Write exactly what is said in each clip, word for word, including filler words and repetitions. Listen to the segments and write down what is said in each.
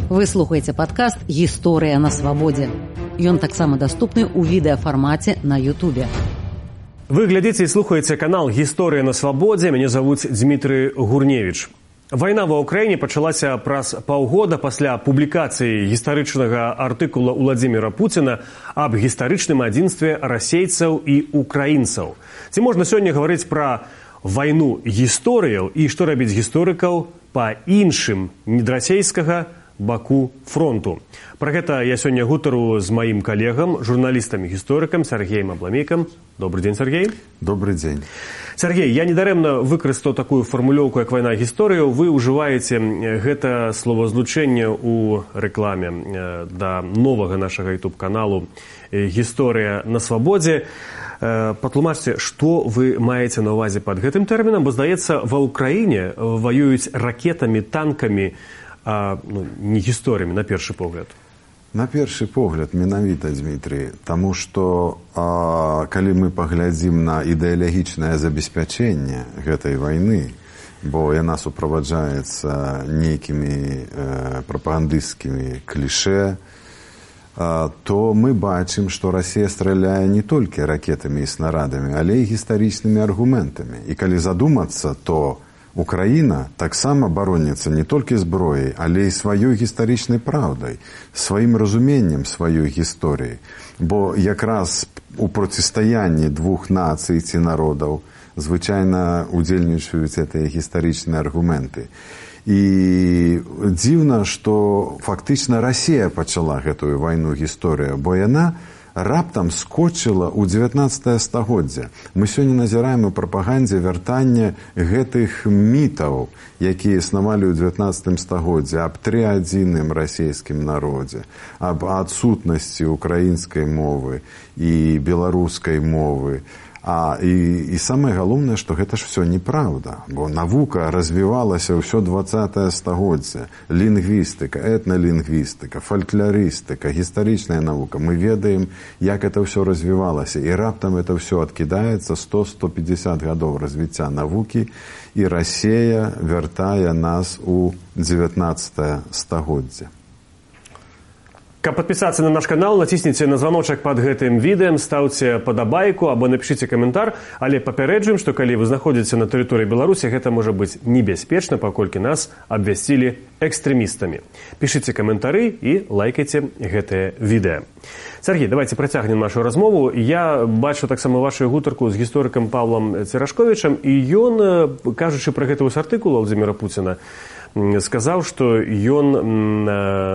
Вы слухаеце падкаст «Гісторыя на свабодзе». Ён таксама даступны ў відэафармаце на Ютубе. Вы глядзіце і слухаеце канал «Гісторыя на свабодзе». Мяне завуць Дмітрый Гурневіч. Вайна ва ўкраіне пачалася праз паўгода пасля публікацыі гістарычнага артыкула Уладзіміра Пуціна аб гістарычным адзінстве расейцаў і украінцаў. Ці можна сёння гаварыць пра вайну гісторыяў і што рабіць гісторыкаў па іншым недрасейскага баку фронту. Пра гэта я сёння гутару з маім калегам, журналістам-гісторыкам Сергеем Абламейкам. Добрый дзень, Сергей. Добрый дзень. Сергей, я недарэмна выкарыстаў такую фармулёўку, як вайна гісторыяў. Вы ўжываеце гэта словазлучэнне ў рэкламе да новага нашага ютуб-каналу «Гісторыя на свабодзе». Патлумачце, што вы маеце на ўвазе пад гэтым тэрмінам, бо, здаецца, ва ўкраіне ваююць ракетамі, танкамі, а ну, не гісторыямі, на першы погляд. На першы погляд, менавіта, Дмітрий, таму што а, калі мы паглядзім на ідэалагічнае забеспячэнне гэтай вайны, бо яна суправаджаецца нейкімі э, прапагандысцкімі кліше, а, то мы бачым, што Расія страляе не толькі ракетамі і снарадамі, але і гістарычнымі аргументамі. І калі задумацца, то Украіна таксама бароніцца не толькі зброяй, але і сваёй гістарычнай праўдай, сваім разуменнем сваёй гісторыі. Бо якраз у процістаянні двух нацый ці народаў звычайна удзельнічаюць гэтыя гістарычныя аргументы. І дзіўна, што фактычна Расія пачала гэтую вайну гісторыю, бо яна раптам скочыла ў дзевятнаццатае стагоддзе. Мы сёння назіраем у прапагандзе вяртанне гэтых мітаў, якія існавалі ў дзевятнаццатым стагоддзе, аб трыадзінным расійскім народзе, аб адсутнасці украінскай мовы і беларускай мовы. А, і, і самае галоўнае, што гэта ж все неправда, бо навука развівалася ўсё дваццатае стагоддзе. Лінгвістыка, этналінгвістыка, фальклорыстыка, гістарычная навука. Мы ведаем, як это ўсё развівалася. І раптам это ўсё адкідаецца сто - сто пятьдесят гадоў развіцця навукі, і Расія вяртае нас у дзевятнаццатае стагоддзе. Каб падпісацца на наш канал, націсніце на званочак пад гэтым відэам, стаўце падабайку або напішыце каментар, але папярэджваем, што калі вы знаходзіце на тэрыторыі Беларусі, гэта можа быць небяспечна, паколькі нас абвясцілі экстрэмістамі. Пішыце каментары і лайкайце гэтае відэа. Сергей, давайте працягнем нашу размову. Я бачу таксама вашу гутарку з гісторыкам Павлам Церашковічам, і ён, кажучы пра гэты вось артыкул Уладзіміра Пуціна, сказаў, што ён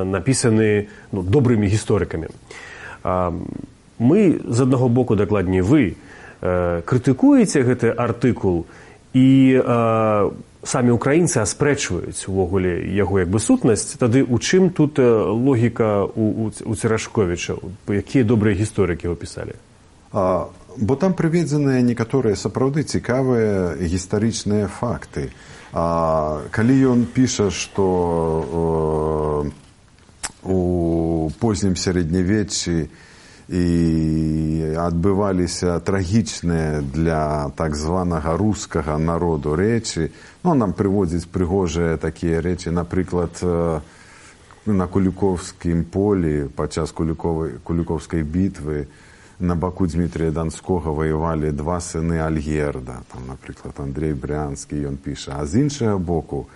напісаны ну, добрымі гісторыкамі. Мы, з аднаго боку, дакладней, вы крытыкуеце гэты артыкул, і самі украінцы аспрэчваюць увогуле яго як бы сутнасць. Тады у чым тут логіка у, у Церашковіча? Якія добрыя гісторыкі его пісалі? А, бо там прыведзеныя некаторыя сапраўды цікавыя гістарычныя факты. А, калі ён піша, што э, у познім сярэднявеччы і адбываліся трагічныя для так званага рускага народу рэчы, ну, нам прыводзіць прыгожыя такія рэчы, напрыклад, э, на Куліковскім полі падчас Куліковскай бітвы на баку Дмітрія Данскога воевалі два сыны Альгерда, там, напрыклад, Андрей Брянскі, ён піша. А з іншага боку,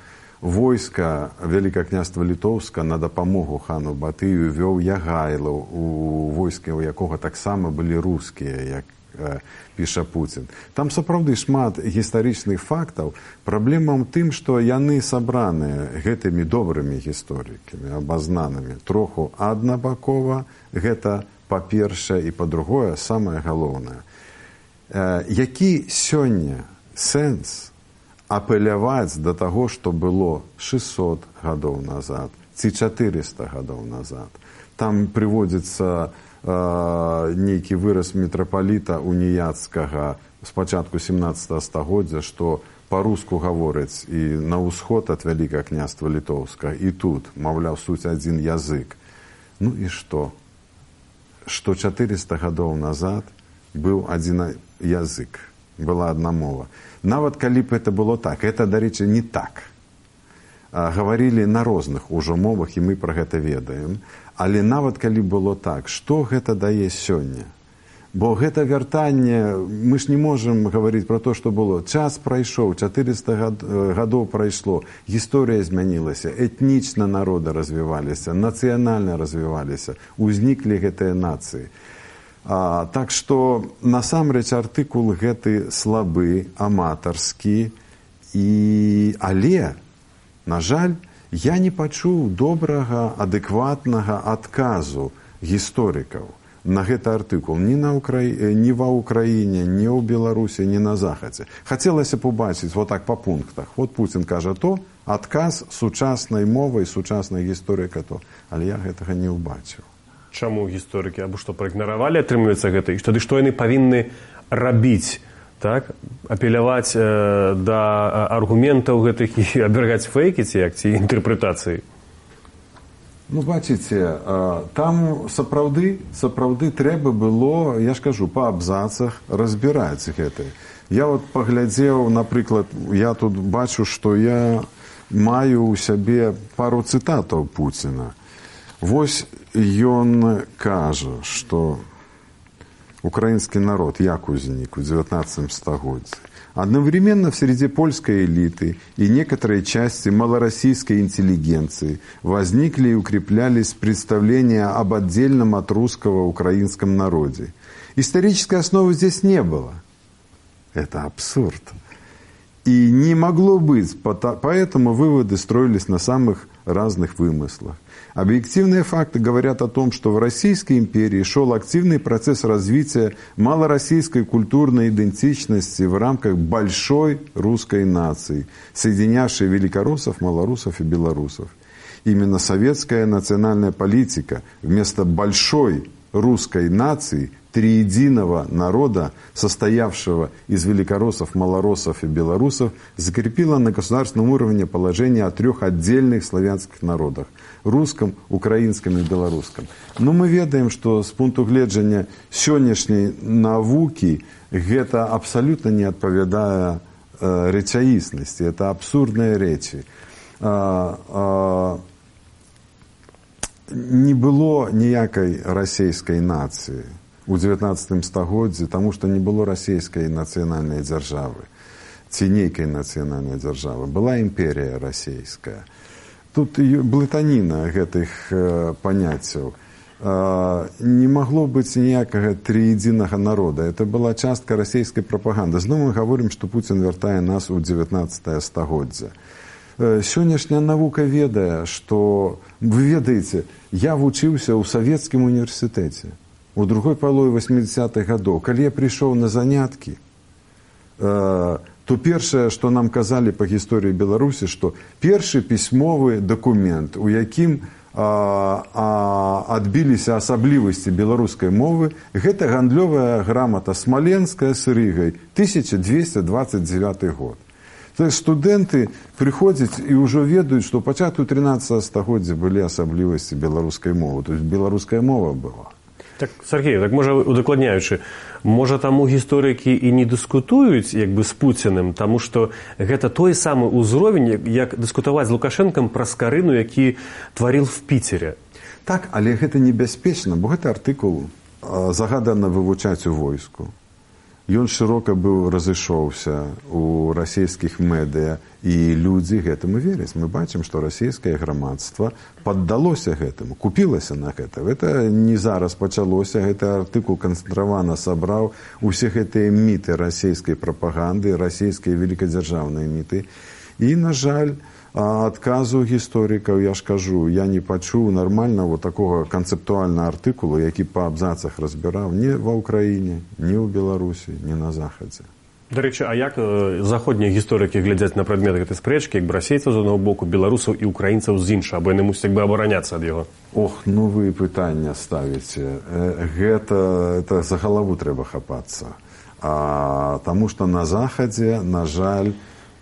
войска Вялікакняства Літоўска на дапамогу хану Батыю вёў Ягайлаў, у войске у якога таксама былі рускія, як э, піша Пуцін. Там сапраўды шмат гістарычных фактаў. Праблема ў тым, што яны сабраныя гэтымі добрымі гісторыкамі, абазнанымі, троху аднабакова, гэта па-першае, і па-другое, самае галоўнае. Э, які сёння сэнс апеляваць да таго, што было шэсцьсот гадоў назад ці чатырыста гадоў назад? Там прыводзіцца э, нейкі выраз мітрапаліта уніяцкага з пачатку сямнаццатага стагоддзя, што па-руску гавораць і на ўсход ад Вялікага княства Літоўскага, і тут, маўляў, суть адзін язык. Ну і што? Што чатырыста гадоў назад быў адзін язык, была адна мова. Нават калі б это было так, это, дарэчы, не так. гаварылі на розных ужо мовах, і мы пра гэта ведаем. Але нават калі было так, што гэта дае сёння? Бо гэта вяртанне, мы ж не можам гаварыць пра то, што было. Час прайшоў, чатырыста гадоў прайшло, гісторыя змянілася, этнічна народы развіваліся, нацыянальна развіваліся, узніклі гэтыя нацыі. А, так што насамрэч артыкул гэты слабы, аматарскі, і... але, на жаль, я не пачуў добрага, адэкватнага адказу гісторыкаў на гэты артыкул ні, на Укра... ні ва Ўкраіне, ні ў Беларусі, ні на Захадзе. Хацелася б убачыць вот так па пунктах. Вот Пуцін кажа то, адказ сучаснай мовай, сучаснай гісторыка то. Але я гэтага не ўбачыў. Чаму гісторыкі? Або што, праігнаравалі, атрымліваецца гэта? І тады што яны павінны рабіць? Так? Апеляваць э, да аргументаў гэтых і абвяргаць фейкі ці як, ці інтэрпрэтацыі? Ну, бачыце, там сапраўды, сапраўды трэба было, я ж кажу, па абзацах разбіраць гэта. Я вот паглядзеў, напрыклад, я тут бачу, што я маю ў сябе пару цытатаў Пуціна. Вось ён кажа, што украинский народ як узник в девятнадцатом стагоддзі. Одновременно в среде польской элиты и некоторой части малороссийской интеллигенции возникли и укреплялись представления об отдельном от русского украинском народе. Исторической основы здесь не было. Это абсурд. И не могло быть, поэтому выводы строились на самых разных вымыслах. Объективные факты говорят о том, что в Российской империи шел активный процесс развития малороссийской культурной идентичности в рамках большой русской нации, соединявшей великороссов, малорусов и белорусов. Именно советская национальная политика вместо большой русской нации, триединого народа, состоявшего из великороссов, малороссов и белорусов, закрепила на государственном уровне положение о трех отдельных славянских народах – русском, украинском и белорусском. Но мы ведаем, что с пункту гледжання сённяшняй навуки гэта абсолютно не адпавядае э, рэчаіснасці. Это абсурдныя рэчы. А, а, не было ніякай расійскай нацыі у девятнадцатым стагоддзі, таму што не было расійскай нацыянальнай дзяржавы ці нейкай нацыянальнай дзяржавы. Была імперія расійская. Тут блытаніна гэтых э, паняццяў. Э, не магло быць ніякага трыедзінага народа. Это была частка расійскай прапаганды. Зноў мы гаворым, што Пуцін вяртае нас у девятнадцатае стагоддзе. Э, сённяшняя навука ведае, што, вы ведаеце, я вучыўся ў савецкім універсітэце у другой палове восьмидесятых гадоў. Калі я прыйшоў на заняткі, э, то першае, што нам казалі па гісторыі Беларусі, што першы пісьмовы дакумент, у якім а, а, адбіліся асаблівасці беларускай мовы, гэта гандлёвая грамата смаленская з Рыгай, тысяча двести двадцать девятый год. То есть студэнты прыходзяць і ўжо ведаюць, што ў пачатку тринадцатого стагоддзя былі асаблівасці беларускай мовы. То есть беларуская мова была. Так, Сергей, так можа, удакладняючы, можа таму гісторыкі і не дыскутуюць як бы з Пуціным, таму што гэта той самы ўзровень, як дыскутаваць з Лукашэнкам пра скарыну, які тварыў в Піцеры. Так, але гэта небяспечна, бо гэты артыкул загадана вывучаць у войску. Ён шырока быў разышоўся у расійскіх медыя, і людзі гэтаму вераць. Мы бачым, што расійскае грамадства паддалося гэтаму, купілася на гэта. Гэта не зараз пачалося, гэты артыкул канцэнтравана сабраў усе гэтыя міты расійскай прапаганды, расійскія великадзяржаўныя міты. І, на жаль, адказу гісторыкаў, я ж кажу, я не пачуў нармальна вот такого канцэптуальнага артыкулу, які па абзацах разбіраў ні ва Ўкраіне, ні ў Беларусі, ні на Захадзе. Дарэчы, а як заходнія гісторыкі глядзяць на прадмет гэтай спрэчкі, як бы расейцаў з аднаго боку, беларусаў і украінцаў з іншага, бо яны мусяць як бы абараняцца ад яго? Ох, ну вы пытання ставіце. Гэта, это за галаву трэба хапацца. А, таму што на Захадзе, на жаль,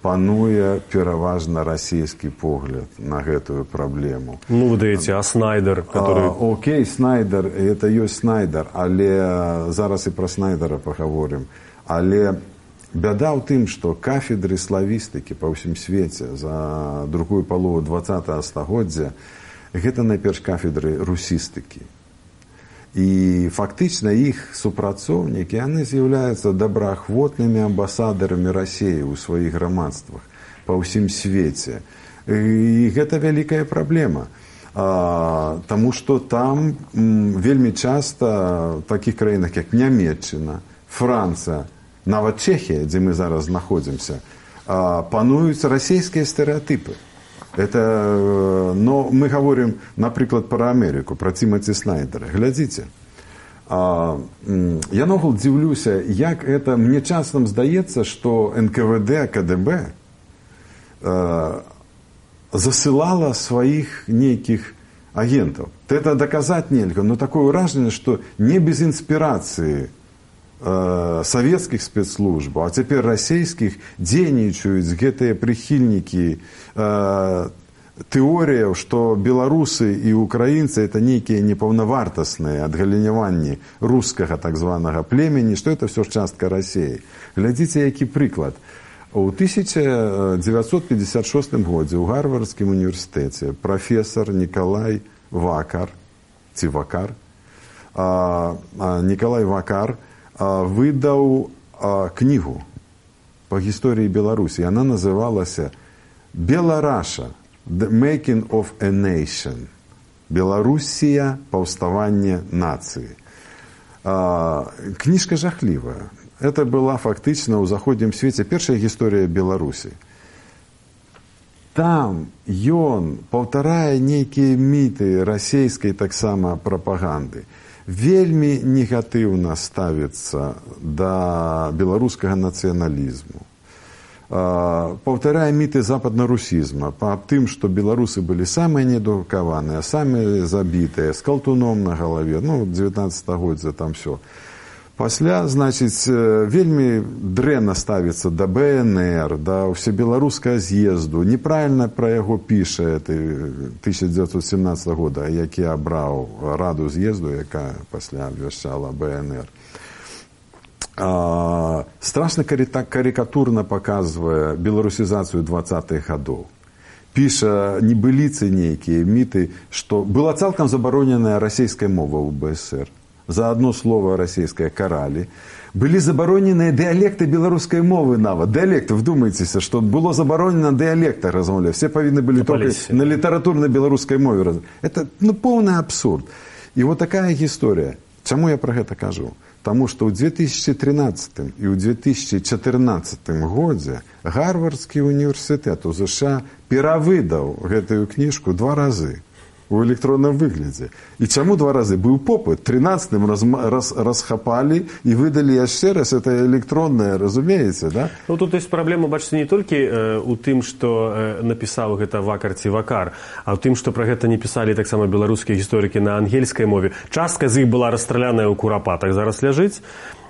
пануе пераважна расійскі погляд на гэтую праблему. Ну, вы даеце, а Снайдер, который... А, окей, Снайдер, это ёсць Снайдер, але зараз і пра Снайдера пагаворым. Але бяда ў тым, што кафедры славістыкі па ўсім свеце за другую палову двадцатага стагоддзя гэта найперш кафедры русістыкі. І фактычна іх супрацоўнікі, яны з'яўляюцца добраахвотнымі амбасадарамі Расіі ў сваіх грамадствах па ўсім свеце. І гэта вялікая праблема. А, таму што там м, вельмі часта в такіх краінах, як Нямецчына, Францыя, нават Чехія, дзе мы зараз знаходзімся, а, пануюць расійскія стэрэатыпы. Это, но мы говорим, например, про Америку, про Тимоти Снайдера. Глядите, а, я ногул дивлюся, як это, мне часом здаецца, что эн ка вэ дэ, ка дэ бэ а, засылала своих неких агентов. Это доказать нельзя, но такое выражение, что не без инспирации э, советских спецслужб, а теперь российских, дзейнічаюць гэтыя прихильники э, тэорияў, что белорусы и украинцы это некие непаўнавартасныя адгаліняванні рускага так званого племени, что это все частка России. Глядите, які прыклад. У тысяча девятьсот пятьдесят шестым годзе ў Гарвардскім універсітэце профессор Николай Вакар, ці Вакар, а, а, Николай Вакар а, выдаў а, книгу по истории Беларуси. Она называлася «Белараша. The Making of a Nation». Белоруссия. Паўставанне нации. А, книжка жахливая. Это была фактично ў заходнім свеце першая гісторыя Беларусі. Там ён паўтарае нейкія міты расійскай таксама прапаганды. Вельмі негатыўна ставіцца да беларускага нацыяналізму. Паўтарае міты западнарусізма па тым, што беларусы былі самыя неадукаваныя, самыя забітыя, з калтуном на галаве. Ну, дзевятнаццатае стагоддзя там все. Пасля, значыць, вельмі дрэнна ставіцца да бэ эн эр, да ўсебеларускага з'езду. Неправільна пра яго піша тысяча девятьсот семнадцатого года, які абраў раду з'езду, якая пасля абвяшчала бэ эн эр. А, страшна карикатурна паказвае беларусізацыю двадцатых гадоў. Піша небыліцы нейкія міты, што была цалкам забароненая расійская мова ў бэ эс эр. За одно слово российское карали. Были заборонены диалекты белорусской мовы нават. Диалекты, вдумайтесь, что было заборонено диалекты размовлять. Все повинны были только на литературной белорусской мове. Это ну, полный абсурд. И вот такая история. Чему я про это кажу? Потому что в две тысячи тринадцатым и в две тысячи четырнадцатым годзе Гарвардский университет у США перавыдаў гэтую книжку два разы. У электронном выглядзе. І чаму два разы? Быў попыт. тринадцатым раз, раз, расхапалі і выдалі яшчэ раз. Это электронное, разумееце, да? Ну, тут есть праблема, бачыце, не толькі э, у тым, што э, напісаў гэта Вакар ці Вакар, а ў тым, што пра гэта не пісалі таксама беларускія гісторыкі на ангельскай мове. Частка з іх была расстраляная ў Курапатах, зараз ляжыць.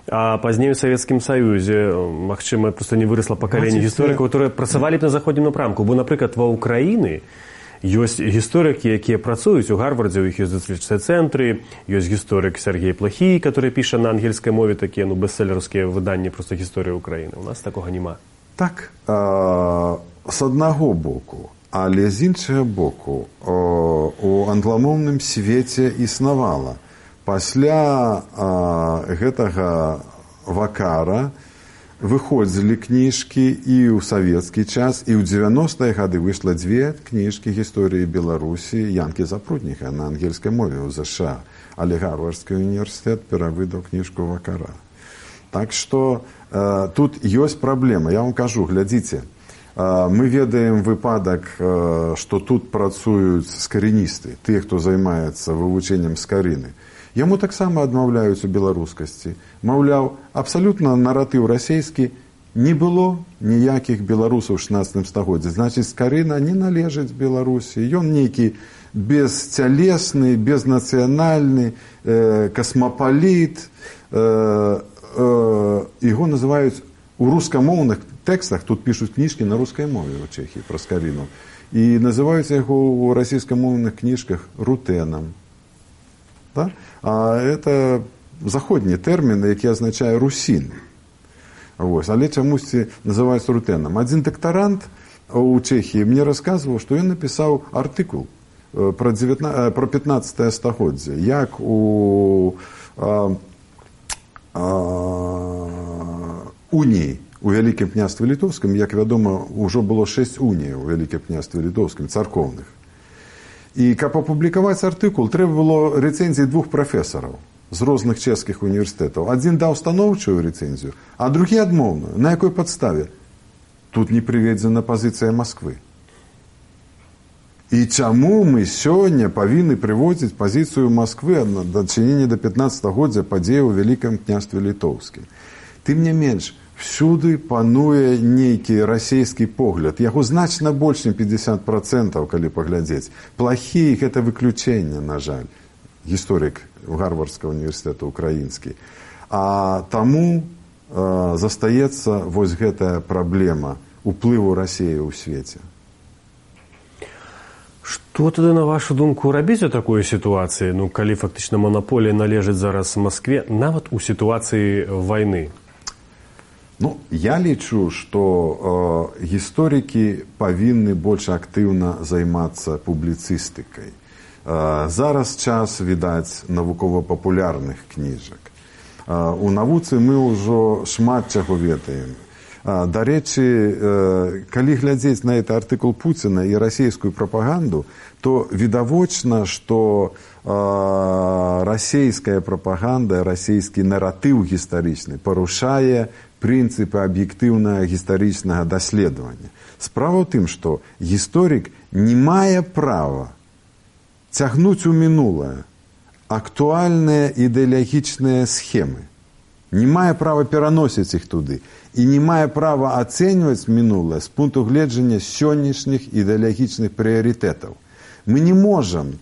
А пазней у Савецкім Саюзе, магчыма, просто не вырасла пакаленне гісторыкаў, которые працавалі б на заходнім напрамку. Бо, напрыклад, ва Ўкраіны ёсць гісторыкі, якія працуюць у Гарвардзе, у іх ёсць даследчыя цэнтры, ёсць гісторык Сергей Плахій, который піша на ангельскай мове такія ну, бестселлерскія выданні проста гісторыі Украіны. У нас такога няма. Так, а, з аднаго боку, але з іншага боку, а, у англамоўным свеце існавала. Пасля а, гэтага Вакара выходзілі кніжкі і ў савецкі час, і ў дзевяностыя гады выйшла дзве кніжкі гісторыі Беларусі Янкі Запрудніка на ангельскай мове ў ЗША, але Гарвардскі універсітэт перавыдаў кніжку Вакара. Так што э, тут ёсць праблема. Я вам кажу, глядзіце, э, мы ведаем выпадак, э, што тут працуюць скарыністы, тыя, хто займаецца вывучэннем скарыны. Яму таксама адмаўляюць у беларускасці. Маўляў, абсалютна наратыў расійскі, не было ніякіх беларусаў у шаснаццатым стагоддзі. Значыць, скарына не належыць Беларусі. Ён нейкі бесцялесны, безнацыянальны, э, касмапаліт. Э, э, яго называюць у рускамоўных тэкстах, тут пішуць кніжкі на рускай мове ў Чэхіі пра скарыну. І называюць яго ў расійскамоўных кніжках рутэнам. Да? А это заходні тэрмін, які азначае русін. Вось. Але чамусьці называюць рутэнам. Адзін дактарант у Чэхіі мне расказваў, што ён напісаў артыкул про, девятнадцатое, про пятнадцатое стагоддзе, як у а, а, уніі у Вялікім княстве Літоўскім, як вядома, ужо было шэсць уніяў у Вялікім княстве Літоўскім, царкоўных. І каб апублікаваць артыкул, трэба было рэцэнзіі двух прафесараў з розных чэшскіх універсітэтаў. Адзін даў станоўчую рэцэнзію, а другі адмоўную. На якой падставе? Тут не прыведзена пазіцыя Масквы. І чаму мы сёння павінны прыводзіць пазіцыю Масквы ад дачынення да пятнаццатагоддзя падзеяў у Вялікім княстве Літоўскім? Тым не менш, всюды пануе нейкі расійскі погляд. Яго значна больш, чым пятьдесят процентов, калі паглядзець. Плохі гэта выключэнне, на жаль. Гісторык Гарвардскага універсітэта украінскі. А таму э, застаецца вось гэтая праблема уплыву Расіі ў свеце. Што тады, на вашу думку, рабіць у такой сітуацыі, ну, калі фактычна манаполія належыць зараз Маскве, нават у сітуацыі вайны? Ну, я лічу, што э, гісторыкі павінны больш актыўна займацца публіцыстыкай. Э, зараз час, відаць, навукова-папулярных кніжак. Э, у навуцы мы ўжо шмат чаго ведаем. Э, дарэчы, э, калі глядзець на гэты артыкул Пуціна і расійскую прапаганду, то відавочна, што э, расійская прапаганда, расійскі наратыў гістарычны парушае прынцыпы аб'ектыўнага гістарычнага даследавання. Справа ў тым, што гісторык не мае права цягнуць у мінулае актуальныя ідэалагічныя схемы. Не мае права пераносіць іх туды. І не мае права ацэньваць мінулае з пункту гледжання сённяшніх ідэалагічных прыярытэтаў. Мы не можам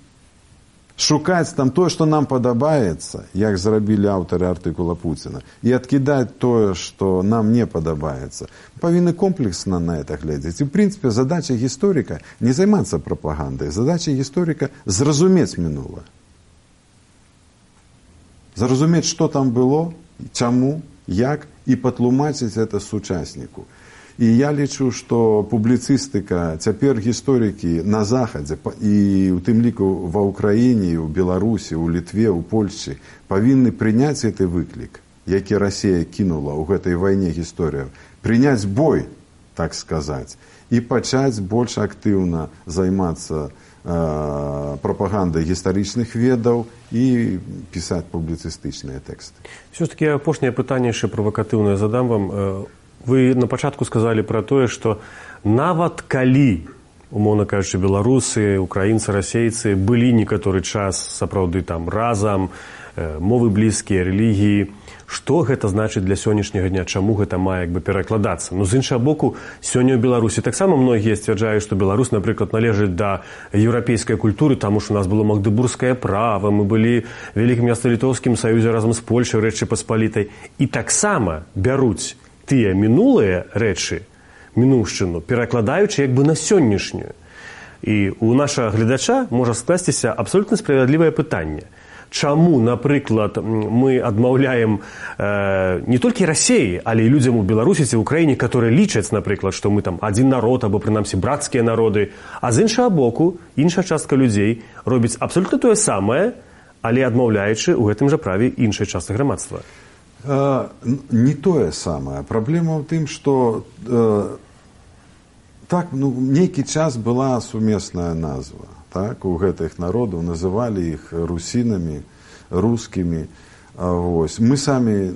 шукаць там тое, што нам падабаецца, як зрабілі аўтары артыкула Пуціна, і адкідаць тое, што нам не падабаецца. Павінны комплексна на это глядзець. І, ў прынцыпе, задача гісторыка не займацца прапагандай. Задача гісторыка зразумець мінулае. Зразумець, што там было, чаму, як, і патлумачыць гэта сучасніку. І я лічу, што публіцыстыка, цяпер гісторыкі на Захадзе, і ў тым ліку ва Ўкраіне, у Беларусі, у Літве, у Польшчы, павінны прыняць гэты выклік, які Расія кінула ў гэтай вайне гісторыяў, прыняць бой, так сказаць, і пачаць больш актыўна займацца э, прапагандай гістарычных ведаў і пісаць публіцыстычныя тэксты. Все ж таки апошняе пытанне яшчэ правакатыўнае задам вам. Вы на пачатку сказалі пра тое, што нават калі, умоўна кажучы, беларусы, украінцы, расейцы былі некаторы час сапраўды там разам, мовы блізкія, рэлігіі, што гэта значыць для сённяшняга дня, чаму гэта мае як бы перакладацца? Ну, з іншага боку, сёння ў Беларусі таксама многія сцвярджаюць, што Беларусь, напрыклад, належыць да еўрапейскай культуры, таму што у нас было магдыбургскае права, мы былі ў Вялікім княства-літоўскім саюзе разам з Польшай, Рэчы Паспалітай, і таксама бяруць тыя мінулыя рэчы, мінуўшчыну, перакладаючы як бы на сённяшнюю. І у нашага гледача можа скласціся абсолютна справядлівае пытанне. Чаму, напрыклад, мы адмаўляем э, не толькі Расіі, але і людзям у Беларусі ці ў Украіне, которые лічаць, напрыклад, што мы там адзін народ, або прынамсі брацкія народы, а з іншага боку, іншая частка людзей робіць абсолютна тое самае, але адмаўляючы ў гэтым жа праве іншай часткі грамадства. Не тое самае. Праблема ў тым, што э, так, ну, нейкі час была сумесная назва. Так, у гэтых народаў называлі іх русінамі, рускімі. Вось. Мы самі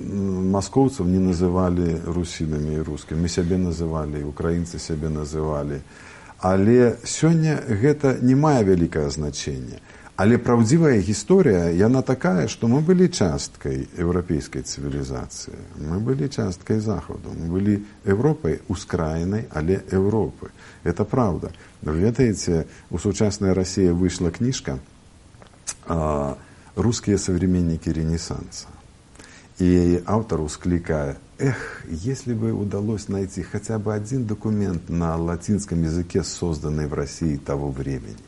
маскоўцаў не называлі русінамі і рускімі. Мы сябе называлі, украінцы сябе называлі. Але сёння гэта не мае вялікае значэнне. Але праўдзівая гісторыя, яна такая, што мы былі часткай еўрапейскай цывілізацыі. Мы былі часткай Захаду. Мы былі Европай ускраінай, але Европы. Это правда. Вы ведаеце, у сучаснай Расіі выйшла кніжка а, «Русские современники Ренессанса». И автор ускликает: эх, если бы удалось найти хотя бы один документ на латинском языке, созданный в России того времени.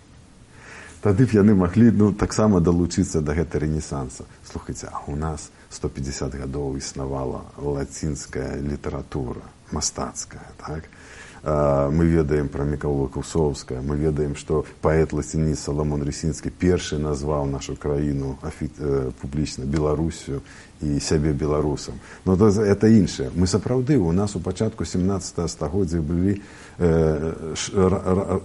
тады б яны маглі ну, таксама далучыцца да гэта рэнесанса. Слухайце, а у нас сто пятьдесят гадоў існавала лацінская літаратура, мастацкая, так? Мы ведаем пра Мікаўла Кусоўскага, мы ведаем, што паэт-лацініст Саламон Рысінскі першы назваў нашу краіну публічна Беларусю і сябе беларусам. Но это іншае. Мы сапраўды, у нас у пачатку сямнаццатага стагоддзя былі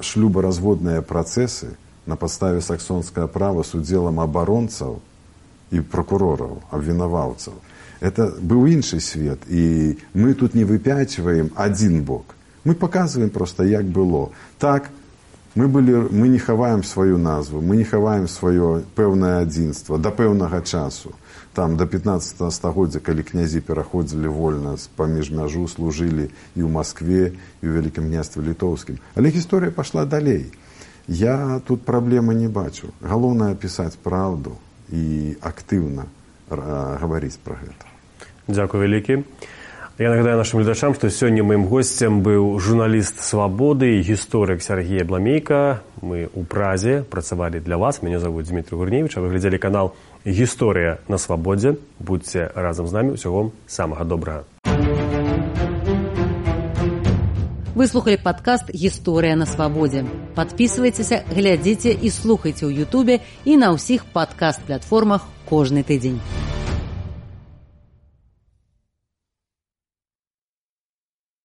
шлюбаразводныя працэсы на падставе саксонскага права з удзелам абаронцаў і прокурораў, абвінаваўцаў. Это быў іншы свет, і мы тут не выпячваем адзін бок. Мы показываем просто, як было. Так, мы, былі, мы не хаваем сваю назву, мы не хаваем сваё пэўнае адзінства да пэўнага часу. Там до пятнадцатага стагоддзя, калі князі пераходзілі вольна паміж мяжу, служылі і ў Маскве, і ў Вялікім княстве Літоўскім. Але гісторыя пашла далей. Я тут праблемы не бачу. Галоўнае пісаць праўду і актыўна гаварыць пра гэта. Дзякуй вялікі. Я нагадаю нашим глядачам, что сегодня моим гостем был журналист «Свободы» и историк Сергей Абламейко. Мы у Празе працавали для вас. Меня зовут Дмитрий Гурневич, а вы глядели канал «История на свободе». Будьте разом с нами. Всего вам самого доброго. Вы слухали подкаст «История на свободе». Подписывайтесь, глядите и слухайте у Ютубе и на всех подкаст-платформах кожный тыдзень.